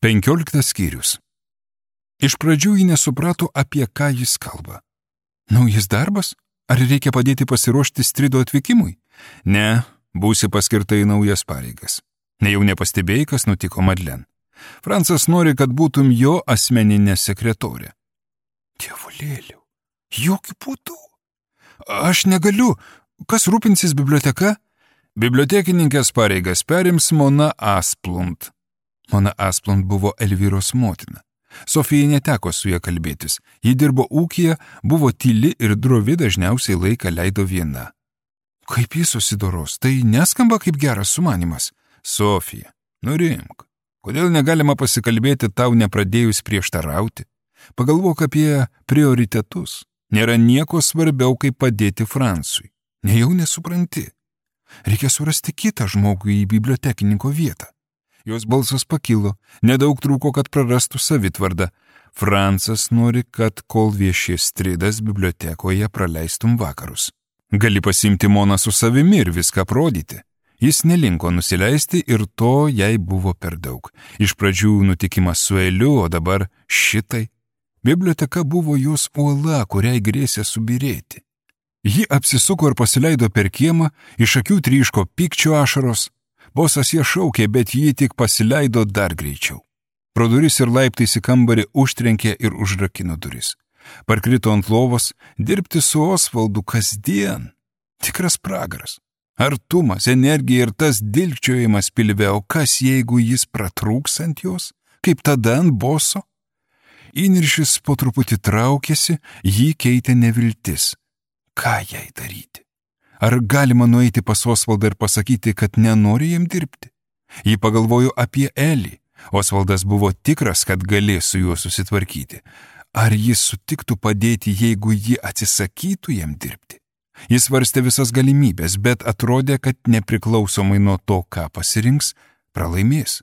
15 skyrius. Iš pradžių ji nesuprato, apie ką jis kalba. Naujas darbas? Ar reikia padėti pasiruošti Strido atvykimui? Ne, būsi paskirta į naujas pareigas. Nejau nepastebėjai, kas nutiko Madlen. Francas nori, kad būtum jo asmeninė sekretorė. Dievulėliau, jokių būdų. Aš negaliu. Kas rūpinsis biblioteka? Bibliotekininkės pareigas perims Mona Asplund. Mona Asplund buvo Elvyros motina. Sofijai neteko su ja kalbėtis. Ji dirbo ūkyje, buvo tyli ir drovi, dažniausiai laiką leido viena. Kaip jis susidoros, tai neskamba kaip geras sumanimas. Sofija, nurimk. Kodėl negalima pasikalbėti tau nepradėjus prieštarauti? Pagalvok apie prioritetus. Nėra nieko svarbiau, kaip padėti Francui. Nejau nesupranti. Reikia surasti kitą žmogų į bibliotekininko vietą. Jos balsas pakilo, nedaug trūko, kad prarastų savitvardą. Francas nori, kad kol viešės Stridas bibliotekoje praleistum vakarus. Gali pasimti Moną su savimi ir viską aprodyti. Jis nelinko nusileisti ir to jai buvo per daug. Iš pradžių nutikimas su Eliu, o dabar šitai. Biblioteka buvo jos uola, kuriai grėsė subirėti. Ji apsisuko ir pasileido per kiemą, iš akių tryško pykčio ašaros. Bosas ją šaukė, bet ji tik pasileido dar greičiau. Pro duris ir laiptais į kambarį užtrenkė ir užrakino duris. Parkrito ant lovos, dirbti su Osvaldu kasdien. Tikras pragaras. Artumas, energija ir tas dilgčiojimas pilve, o kas jeigu jis pratrūks ant jos, kaip tada ant boso? Įniršis po truputį traukėsi, jį keitė neviltis. Ką jai daryti? Ar galima nueiti pas Osvaldą ir pasakyti, kad nenori jam dirbti? Ji pagalvojo apie Elį. Osvaldas buvo tikras, kad galės su juo susitvarkyti. Ar jis sutiktų padėti, jeigu ji atsisakytų jam dirbti? Jis svarstė visas galimybės, bet atrodė, kad nepriklausomai nuo to, ką pasirinks, pralaimės.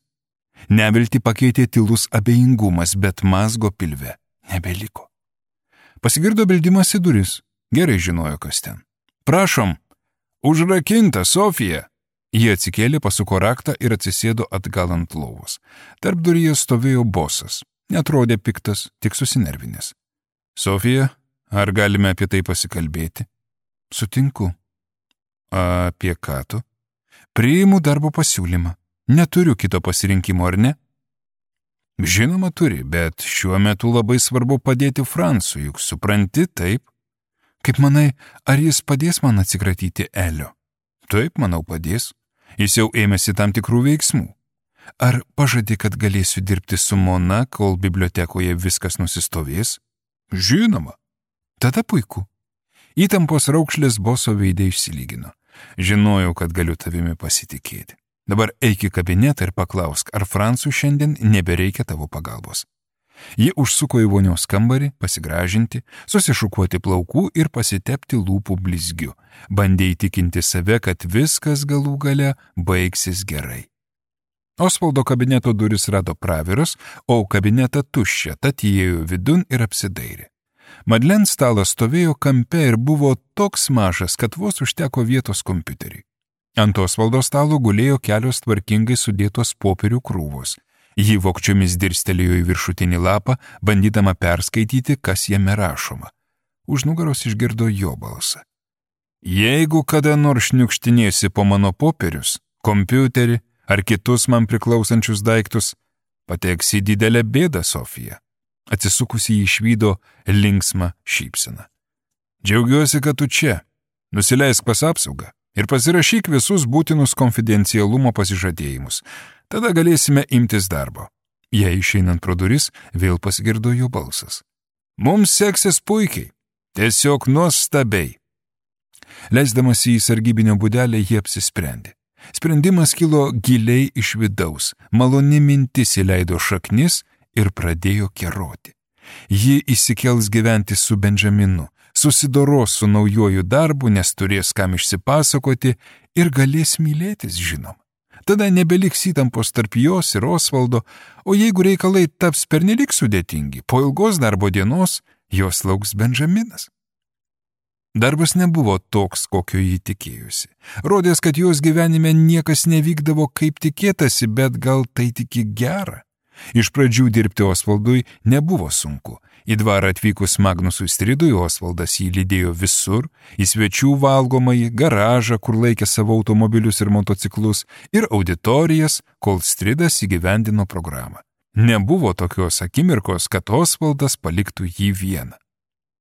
Neviltį pakeitė tylus abejingumas, bet mazgo pilve nebeliko. Pasigirdo beldimas į duris. Gerai žinojo, kas ten. Prašom, užrakinta, Sofija. Ji atsikėlė, pasuko raktą ir atsisėdo atgal ant lovos. Tarp duryje stovėjo bosas. Netrodė piktas, tik susinervinęs. Sofija, ar galime apie tai pasikalbėti? Sutinku. Apie ką tu? Priimu darbo pasiūlymą. Neturiu kito pasirinkimo, ar ne? Žinoma turi, bet šiuo metu labai svarbu padėti Francui, juk supranti, taip? Kaip manai, ar jis padės man atsikratyti Elio? Taip, manau, padės. Jis jau ėmėsi tam tikrų veiksmų. Ar pažadi, kad galėsiu dirbti su Mona, kol bibliotekoje viskas nusistovės? Žinoma. Tada puiku. Įtampos raukšlės boso veidė išsilygino. Žinojau, kad galiu tavimi pasitikėti. Dabar eik į kabinetą ir paklausk, ar Francui šiandien nebereikia tavo pagalbos. Ji užsuko į vonios kambarį, pasigražinti, susišukuoti plaukų ir pasitepti lūpų blizgiu. Bandė įtikinti save, kad viskas galų gale baigsis gerai. Osvaldo kabineto duris rado praviras, o kabinetą tuščią, tad įėjo vidun ir apsidairė. Madlen stalas stovėjo kampe ir buvo toks mažas, kad vos užteko vietos kompiuteriui. Ant Osvaldo stalo gulėjo kelios tvarkingai sudėtos popierių krūvos. Ji vokčiomis dirstelėjo į viršutinį lapą, bandydama perskaityti, kas jame rašoma. Už nugaros išgirdo jo balsą. Jeigu kada nors šniukštinėsi po mano popierius, kompiuterį ar kitus man priklausančius daiktus, pateksi didelę bėdą, Sofija. Atsisukusi jį išvydo linksmą šypseną. Džiaugiuosi, kad tu čia. Nusileisk pas apsaugą ir pasirašyk visus būtinus konfidencialumo pasižadėjimus. Tada galėsime imtis darbo. Jei išeinant pro duris, vėl pasigirdo jo balsas. Mums seksis puikiai. Tiesiog nuostabiai. Leisdamas į sargybinio būdelę, jie apsisprendė. Sprendimas kilo giliai iš vidaus. Maloni mintis įleido šaknis ir pradėjo keroti. Ji įsikels gyventi su Benjaminu, susidoros su naujoju darbu, nes turės kam išsipasakoti ir galės mylėtis, žinom. Tada nebeliks įtampos tarp jos ir Osvaldo, o jeigu reikalai taps pernelik sudėtingi, po ilgos darbo dienos jos lauks Benjaminas. Darbas nebuvo toks, kokio jį tikėjusi. Rodės, kad jos gyvenime niekas nevykdavo kaip tikėtasi, bet gal tai tik į gerą. Iš pradžių dirbti Osvaldui nebuvo sunku. Į dvarą atvykus Magnusui Stridui, Osvaldas jį lydėjo visur, į svečių valgomąjį, garažą, kur laikė savo automobilius ir motociklus, ir auditorijas, kol Stridas įgyvendino programą. Nebuvo tokios akimirkos, kad Osvaldas paliktų jį vieną.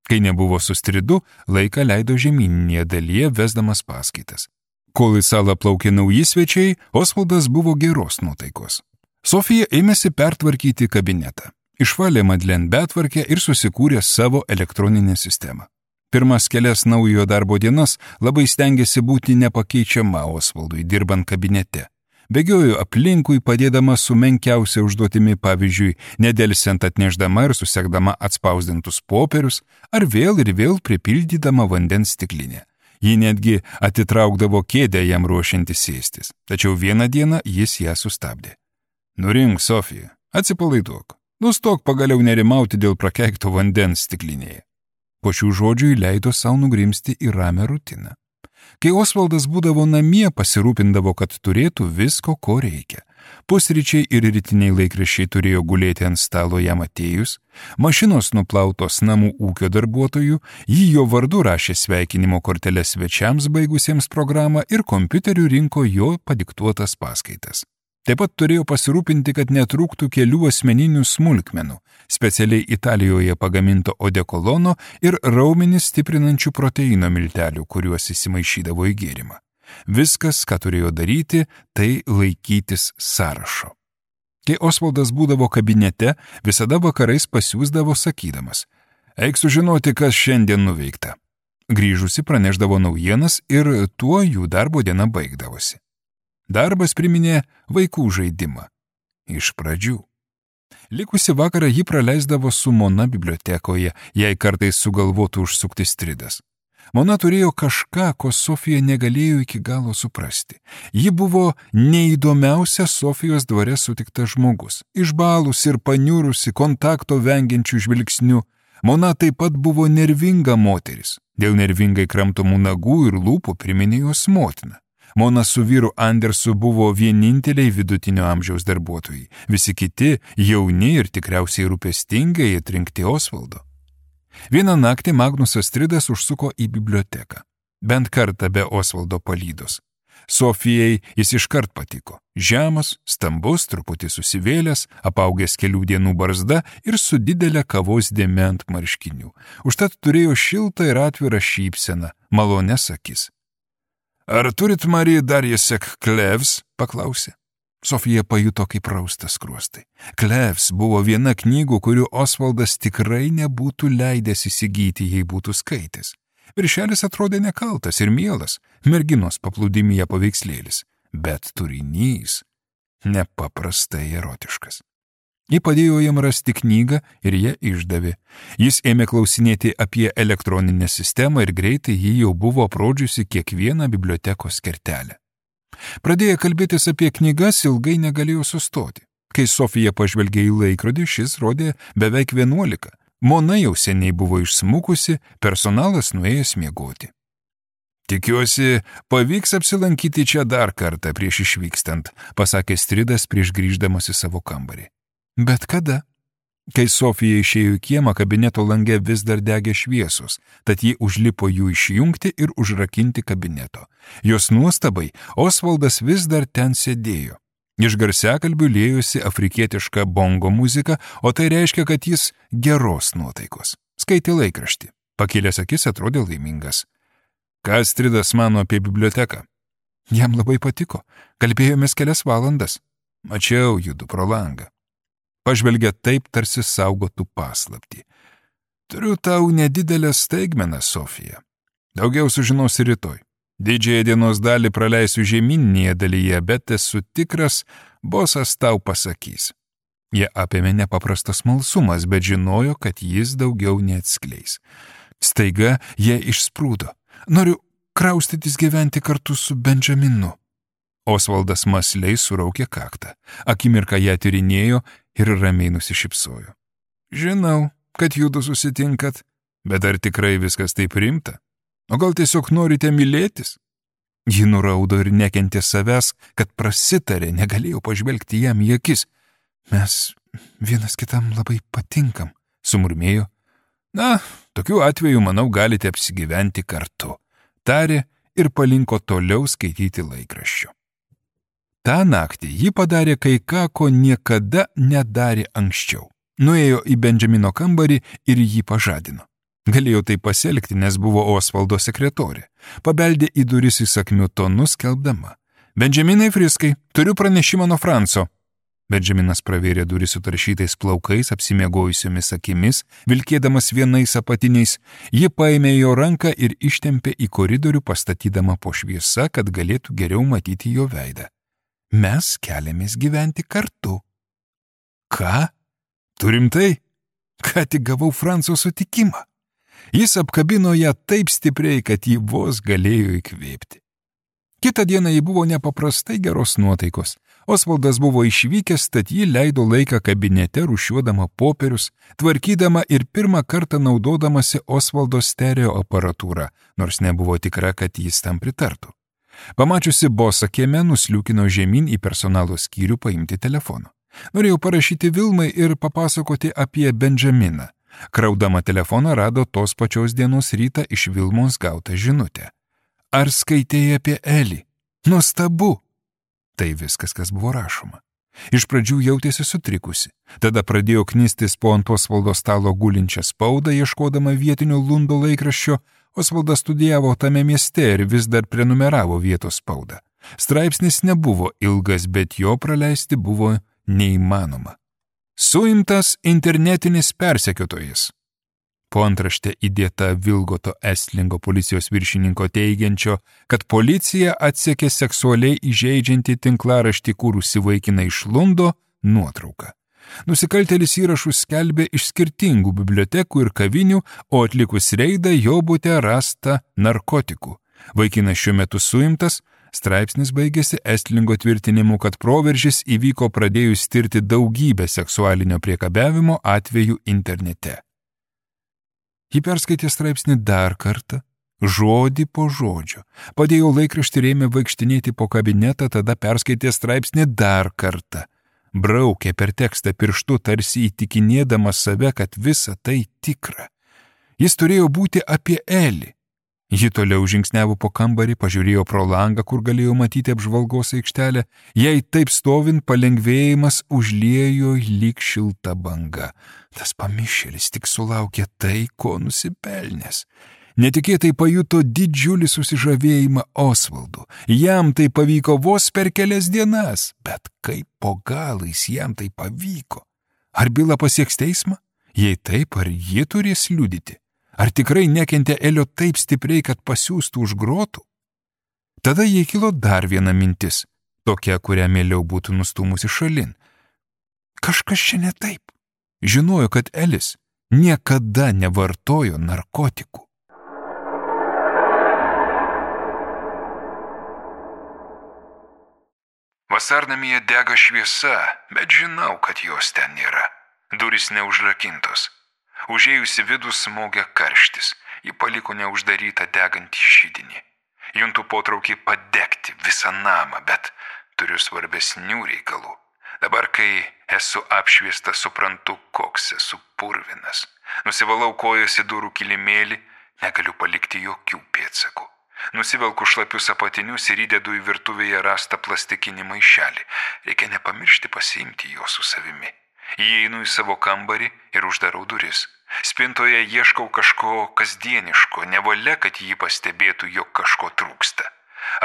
Kai nebuvo su Stridu, laiką leido žemyninėje dalyje, vesdamas paskaitas. Kol į salą plaukė nauji svečiai, Osvaldas buvo geros nuotaikos. Sofija ėmėsi pertvarkyti kabinetą. Išvalė Madlen betvarkę ir susikūrė savo elektroninę sistemą. Pirmas kelias naujojo darbo dienas labai stengėsi būti nepakeičiama Osvaldui dirbant kabinete. Bėgiojo aplinkui, padėdama su menkiausia užduotimi, pavyzdžiui, nedelsiant atnešdama ir susekdama atspausdintus popierius, ar vėl pripildydama vandens stiklinę. Ji netgi atitraukdavo kėdę jam ruošiantis sėstis, tačiau vieną dieną jis ją sustabdė. Nurink, Sofija, atsipalaiduok, nustok pagaliau nerimauti dėl prakeikto vandens stiklinėje. Po šių žodžių leido savo nugrimsti į ramią rutiną. Kai Osvaldas būdavo namie, pasirūpindavo, kad turėtų visko, ko reikia. Pusryčiai ir rytiniai laikraščiai turėjo gulėti ant stalo jam atėjus, mašinos nuplautos namų ūkio darbuotojų, jį jo vardu rašė sveikinimo korteles svečiams baigusiems programą ir kompiuteriu rinko jo padiktuotas paskaitas. Taip pat turėjo pasirūpinti, kad netrūktų kelių asmeninių smulkmenų, specialiai Italijoje pagaminto odekolono ir raumenis stiprinančių proteino miltelių, kuriuos įsimaišydavo į gėrimą. Viskas, ką turėjo daryti, tai laikytis sąrašo. Kai Osvaldas būdavo kabinete, visada vakarais pasiųsdavo sakydamas: eik sužinoti, kas šiandien nuveikta. Grįžusi praneždavo naujienas ir tuo jų darbo diena baigdavosi. Darbas priminė vaikų žaidimą. Iš pradžių. Likusi vakarą ji praleisdavo su Mona bibliotekoje, jei kartais sugalvotų užsukti Stridas. Mona turėjo kažką, ko Sofija negalėjo iki galo suprasti. Ji buvo neįdomiausia Sofijos dvare sutiktas žmogus. Išbalus ir paniurusi, kontakto vengiančių žvilgsnių. Mona taip pat buvo nervinga moteris. Dėl nervingai kramtomų nagų ir lūpų priminė jos motiną. Mona su vyru Andersu buvo vieninteliai vidutinio amžiaus darbuotojai. Visi kiti jauni ir tikriausiai rūpestingai atrinkti Osvaldo. Vieną naktį Magnusas Stridas užsuko į biblioteką. Bent kartą be Osvaldo palydos. Sofijai jis iškart patiko. Žemas, stambus, truputį susivėlęs, apaugęs kelių dienų barzda ir su didelė kavos dėme ant marškinių. Užtat turėjo šiltą ir atvirą šypseną, malonias akis. Ar turit, Marija, dar jesek Klevs? Paklausė. Sofija pajuto, kaip rausta skruostai. Klevs buvo viena knygų, kurių Osvaldas tikrai nebūtų leidęs įsigyti, jei būtų skaitęs. Viršelis atrodė nekaltas ir mielas, merginos paplūdimyje paveikslėlis, bet turinys nepaprastai erotiškas. Ji padėjo jam rasti knygą ir ją išdavė. Jis ėmė klausinėti apie elektroninę sistemą ir greitai ji jau buvo aprodžiusi kiekvieną bibliotekos kertelę. Pradėję kalbėtis apie knygas, ilgai negalėjo sustoti. Kai Sofija pažvelgė į laikrodį, šis rodė beveik 11. Mona jau seniai buvo išsmukusi, personalas nuėjęs miegoti. Tikiuosi, pavyks apsilankyti čia dar kartą prieš išvykstant, pasakė Stridas prieš grįždamas į savo kambarį. Bet kada? Kai Sofija išėjo į kiemą, kabineto lange vis dar degė šviesos, tad ji užlipo jų išjungti ir užrakinti kabineto. Jos nuostabai Osvaldas vis dar ten sėdėjo. Iš garsiakalbių liejosi afrikietiška bongo muzika, o tai reiškia, kad jis geros nuotaikos. Skaitė laikraštį. Pakėlęs akis atrodė laimingas. Ką Stridas mano apie biblioteką? Jam labai patiko. Kalbėjomės kelias valandas. Mačiau judu pro langą. Pažvelgė taip, tarsi saugotų paslaptį. Turiu tau nedidelę staigmeną, Sofija. Daugiau sužinosi rytoj. Didžiąją dienos dalį praleisiu žemyninėje dalyje, bet esu tikras, bosas tau pasakys. Jie apėmė nepaprastas smalsumas, bet žinojo, kad jis daugiau neatskleis. Staiga jie išsprūdo. Noriu kraustytis gyventi kartu su Benjaminu. Osvaldas mąsliai suraukė kaktą. Akimirką ją tyrinėjo ir ramiai nusišypsojo. Žinau, kad judu susitinkat, bet ar tikrai viskas taip rimta? O gal tiesiog norite mylėtis? Ji nuraudo ir nekentė savęs, kad prasitarė, negalėjo pažvelgti jam į akis. Mes vienas kitam labai patinkam, sumurmėjo. Na, tokiu atveju, manau, galite apsigyventi kartu, tarė ir palinko toliau skaityti laikraščių. Ta naktį ji padarė kai ką, ko niekada nedarė anksčiau. Nuėjo į Benjamino kambarį ir jį pažadino. Galėjo tai pasielgti, nes buvo Osvaldo sekretorė. Pabeldė į duris įsakmiu tonu, skelbdama. Benjaminai Friskai, turiu pranešimą nuo Franco. Benjaminas pravėrė duris sutaršytais plaukais, apsimiegojusiomis akimis, vilkėdamas vienais apatiniais. Ji paėmė jo ranką ir ištempė į koridorių, pastatydama po šviesa, kad galėtų geriau matyti jo veidą. Mes keliamės gyventi kartu. Ką? Turim tai? Ką tik gavau Franco sutikimą. Jis apkabino ją taip stipriai, kad ji vos galėjo įkvėpti. Kitą dieną ji buvo nepaprastai geros nuotaikos. Osvaldas buvo išvykęs, tad ji leido laiką kabinete rūšiuodama popierius, tvarkydama ir pirmą kartą naudodamasi Osvaldo stereo aparatūrą, nors nebuvo tikra, kad jis tam pritartų. Pamačiusi bosą kieme, nusliūkino žemyn į personalo skyrių paimti telefono. Norėjau parašyti Vilmai ir papasakoti apie Benjaminą. Kraudama telefoną rado tos pačios dienos rytą iš Vilmos gautą žinutę. Ar skaitėjai apie Elį? Nuostabu! Tai viskas, kas buvo rašoma. Iš pradžių jautėsi sutrikusi. Tada pradėjo knistis po ant Osvaldo stalo gulinčią spaudą, ieškodama vietinio Lundo laikraščio. Osvaldas studijavo tame mieste ir vis dar prenumeravo vietos spaudą. Straipsnis nebuvo ilgas, bet jo praleisti buvo neįmanoma. Suimtas internetinis persekiotojas. Po antrašte įdėta Vilgoto Estlingo policijos viršininko teigiančio, kad policija atsekė seksualiai įžeidžiantį tinklaraštį kūrusi vaikiną iš Lundo nuotrauką. Nusikaltėlis įrašus skelbė iš skirtingų bibliotekų ir kavinių, o atlikus reidą jo bute rasta narkotikų. Vaikinas šiuo metu suimtas. Straipsnis baigėsi Estlingo tvirtinimu, kad proveržis įvyko pradėjus tirti daugybę seksualinio priekabiavimo atvejų internete. Ji perskaitė straipsnį dar kartą, žodį po žodžio. Padėjo laikraštį ir ėmė vaikštinėti po kabinetą, tada perskaitė straipsnį dar kartą. Braukė per tekstą pirštu, tarsi įtikinėdama save, kad visa tai tikra. Jis turėjo būti apie Elį. Ji toliau žingsniavo po kambarį, pažiūrėjo pro langą, kur galėjo matyti apžvalgos aikštelę. Jai taip stovint palengvėjimas užliejo lyg šilta banga. Tas pamišėlis tik sulaukė tai, ko nusipelnęs. Netikėtai pajuto didžiulį susižavėjimą Osvaldu. Jam tai pavyko vos per kelias dienas, bet kaip po galais jam tai pavyko. Ar byla pasieks teismą? Jei taip, ar ji turės liudyti? Ar tikrai nekentė Elio taip stipriai, kad pasiųstų už grotų? Tada jai kilo dar viena mintis, tokia, kurią mieliau būtų nustūmusi šalin. Kažkas čia ne taip. Žinojo, kad Elis niekada nevartojo narkotikų. Vasarnamyje dega šviesa, bet žinau, kad jos ten nėra. Durys neužrakintos. Užėjusi vidų smogė karštis, ji paliko neuždarytą degantį židinį. Juntu potraukį padegti visą namą, bet turiu svarbesnių reikalų. Dabar, kai esu apšviestas, suprantu, koks esu purvinas. Nusivalau kojas į durų kilimėlį, negaliu palikti jokių pėdsakų. Nusivelku šlapius apatinius ir įdedu į virtuvėje rastą plastikinį maišelį. Reikia nepamiršti pasiimti jo su savimi. Įeinu į savo kambarį ir uždarau duris. Spintoje ieškau kažko kasdieniško, nevalia, kad jį pastebėtų, jog kažko trūksta.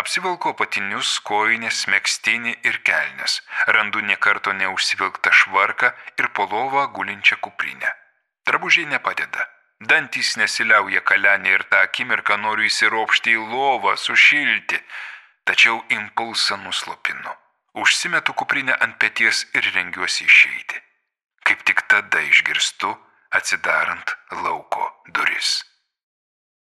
Apsivilku apatinius, kojines, megztinį ir kelnes. Randu nė karto neužsivilktą švarką ir po lovą gulinčią kuprinę. Drabužiai nepadeda. Dantys nesiliauja kalenė ir tą akimirką noriu įsiropšti į lovą, sušilti. Tačiau impulsą nuslopinu. Užsimetu kuprinę ant peties ir rengiuosi išeiti. Kaip tik tada išgirstu, atsidarant lauko duris.